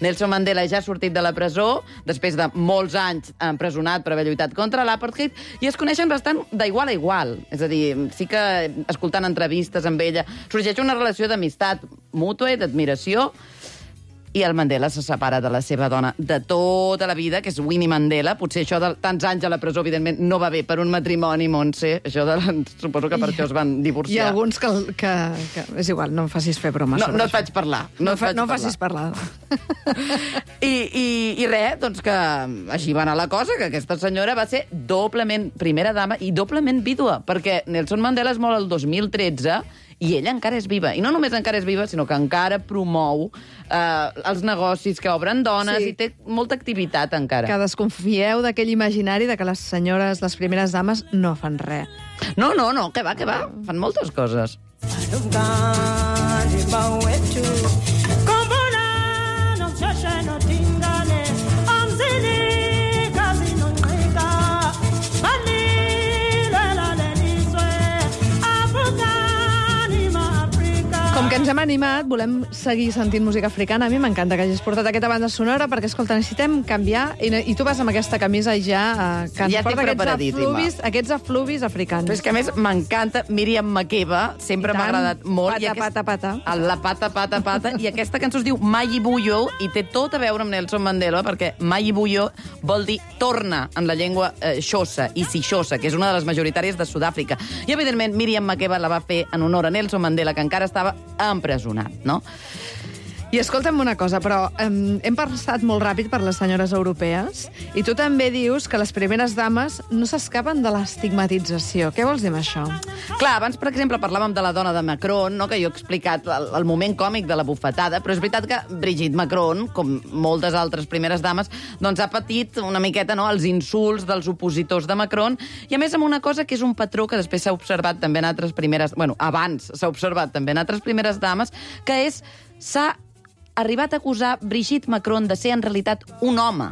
Nelson Mandela ja ha sortit de la presó, després de molts anys empresonat per haver lluitat contra l'apartheid, i es coneixen bastant d'igual a igual. És a dir, sí que, escoltant entrevistes amb ella, sorgeix una relació d'amistat mútua i d'admiració, i el Mandela se separa de la seva dona de tota la vida, que és Winnie Mandela. Potser això de tants anys a la presó, evidentment, no va bé per un matrimoni, Montse. Això de, suposo que per I, això es van divorciar. Hi ha alguns que, que, que... És igual, no em facis fer bromes no, sobre no et això. faig parlar. No, No, fa, faig no facis parlar. I, i, I res, doncs que així va anar la cosa, que aquesta senyora va ser doblement primera dama i doblement vídua, perquè Nelson Mandela es mor el dos mil tretze i ella encara és viva. I no només encara és viva, sinó que encara promou eh, els negocis que obren dones sí. i té molta activitat encara. Que desconfieu d'aquell imaginari de que les senyores, les primeres dames, no fan res. No, no, no, que va, que va. Fan moltes coses. Com que ens hem animat, volem seguir sentint música africana. A mi m'encanta que hagis portat aquesta banda sonora perquè, escolta, necessitem canviar i, i tu vas amb aquesta camisa i ja eh, que ens Ja porta estic aquests preparadíssima. afluvis, aquests afluvis africans. Però és que, a més, m'encanta Míriam Makeba, sempre m'ha agradat molt. Pata, I aquest... pata, pata. La pata, pata, pata. I aquesta cançó es diu Mayi Buyo i té tot a veure amb Nelson Mandela perquè Mayi Buyo vol dir torna en la llengua eh, xosa, i si xosa, que és una de les majoritàries de Sud-àfrica. I, evidentment, Míriam Makeba la va fer en honor a Nelson Mandela, que encara estava empresonat, no? I escolta'm una cosa, però um, hem passat molt ràpid per les senyores europees i tu també dius que les primeres dames no s'escapen de l'estigmatització. Què vols dir amb això? Clar, abans, per exemple, parlàvem de la dona de Macron, no? Que jo he explicat el, el moment còmic de la bufetada, però és veritat que Brigitte Macron, com moltes altres primeres dames, doncs ha patit una miqueta, no?, els insults dels opositors de Macron, i a més amb una cosa que és un patró que després s'ha observat també en altres primeres... Bueno, abans s'ha observat també en altres primeres dames, que és... s'ha arribat a acusar Brigitte Macron de ser en realitat un home,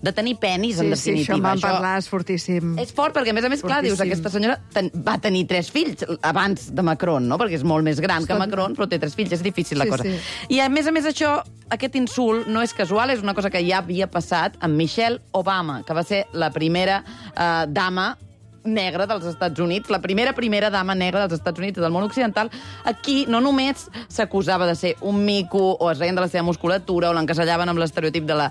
de tenir penis, sí, en definitiva. Sí, això en vam parlar, és fortíssim. És fort, perquè a més a més, fortíssim. clar, dius, aquesta senyora ten, va tenir tres fills abans de Macron, no?, perquè és molt més gran que Macron, però té tres fills, és difícil la sí, cosa. Sí. I a més a més això, aquest insult no és casual, és una cosa que ja havia passat amb Michelle Obama, que va ser la primera eh, dama negra dels Estats Units, la primera primera dama negra dels Estats Units i del món occidental. Aquí no només s'acusava de ser un mico o es reien de la seva musculatura o l'encasellaven amb l'estereotip de, la,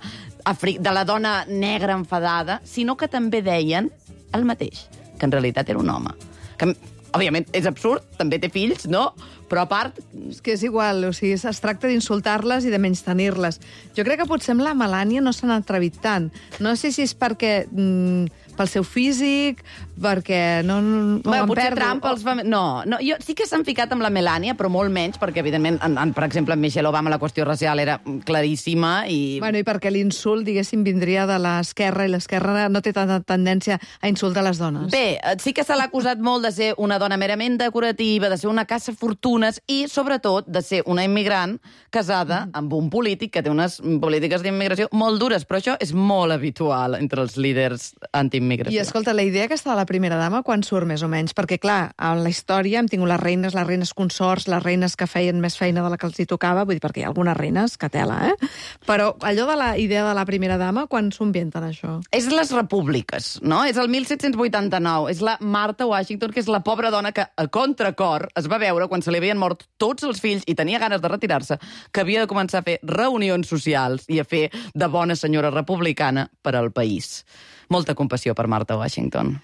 de la dona negra enfadada, sinó que també deien el mateix, que en realitat era un home. Que, òbviament, és absurd, també té fills, no? Però a part... És que és igual, o sigui, es tracta d'insultar-les i de menystenir-les. Jo crec que potser amb la Melania no s'han atrevit tant. No sé si és perquè... Mm, pel seu físic, perquè no, no, no bueno, em potser perdo. Trump els fa... No, no, jo sí que s'han ficat amb la Melania, però molt menys, perquè, evidentment, en, en, per exemple, en Michelle Obama la qüestió racial era claríssima i... Bueno, i perquè l'insult, diguéssim, vindria de l'esquerra, i l'esquerra no té tanta tendència a insultar les dones. Bé, sí que se l'ha acusat molt de ser una dona merament decorativa, de ser una caça fortuna fortunes i, sobretot, de ser una immigrant casada mm. amb un polític que té unes polítiques d'immigració molt dures, però això és molt habitual entre els líders antiimmigració. I escolta, la idea aquesta de la primera dama, quan surt més o menys? Perquè, clar, en la història hem tingut les reines, les reines consorts, les reines que feien més feina de la que els hi tocava, vull dir, perquè hi ha algunes reines que tela, eh? Però allò de la idea de la primera dama, quan s'ho inventen, això? És les repúbliques, no? És el mil set-cents vuitanta-nou. És la Martha Washington, que és la pobra dona que, a contracor, es va veure, quan se li havien mort tots els fills i tenia ganes de retirar-se, que havia de començar a fer reunions socials i a fer de bona senyora republicana per al país. Molta compassió per Martha Washington.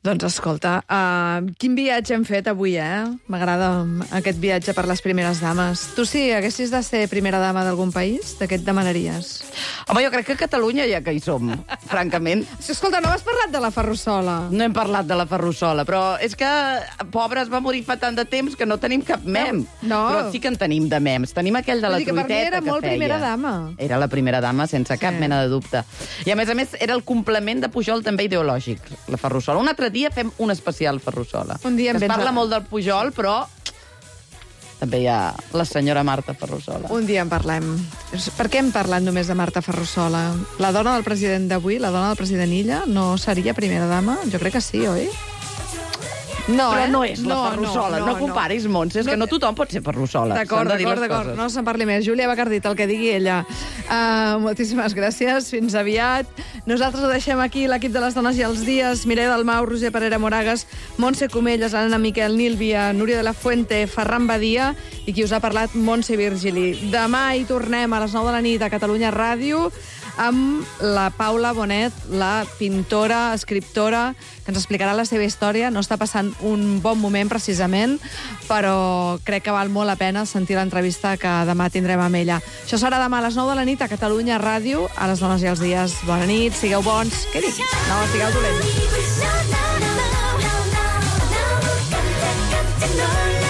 Doncs escolta, uh, quin viatge hem fet avui, eh? M'agrada aquest viatge per les primeres dames. Tu, si haguessis de ser primera dama d'algun país, de què et demanaries? Home, jo crec que a Catalunya ja que hi som, francament. Escolta, no has parlat de la Ferrusola. No hem parlat de la Ferrusola, però és que, pobra, es va morir fa tant de temps que no tenim cap mem. No. Però sí que en tenim de mems. Tenim aquell de la que truiteta que feia. Per mi era molt primera dama. Era la primera dama, sense cap Sí. mena de dubte. I, a més a més, era el complement de Pujol també ideològic, la Ferrusola. Un altre dia fem un especial Ferrusola. Un dia es vens parla a- molt del Pujol, però també hi ha la senyora Marta Ferrusola. Un dia en parlem. Per què hem parlat només de Marta Ferrusola? La dona del president d'avui, la dona del president Illa, no seria primera dama? Jo crec que sí, oi? No, Però eh? no és la Ferrusola. No, no, no comparis, Montse, és que no tothom pot ser Ferrusola. D'acord, S'han de dir d'acord, les d'acord. coses. No se'n parli més. Júlia Bacardit, el que digui ella. Uh, moltíssimes gràcies. Fins aviat. Nosaltres ho deixem aquí, l'equip de les dones i els dies. Mireia Dalmau, Roger Parera Moragas, Montse Comelles, Anna Miquel, Nílvia, Núria de la Fuente, Ferran Badia i qui us ha parlat, Montse Virgili. Demà hi tornem a les nou de la nit a Catalunya Ràdio amb la Paula Bonet, la pintora, escriptora, que ens explicarà la seva història. No està passant un bon moment, precisament, però crec que val molt la pena sentir l'entrevista que demà tindrem amb ella. Això serà demà a les nou de la nit a Catalunya Ràdio, a les dones i els dies. Bona nit, sigueu bons. Què dic? No, sigueu dolents. No, no, no, no, no, no, no, no, no, no, no, no, no,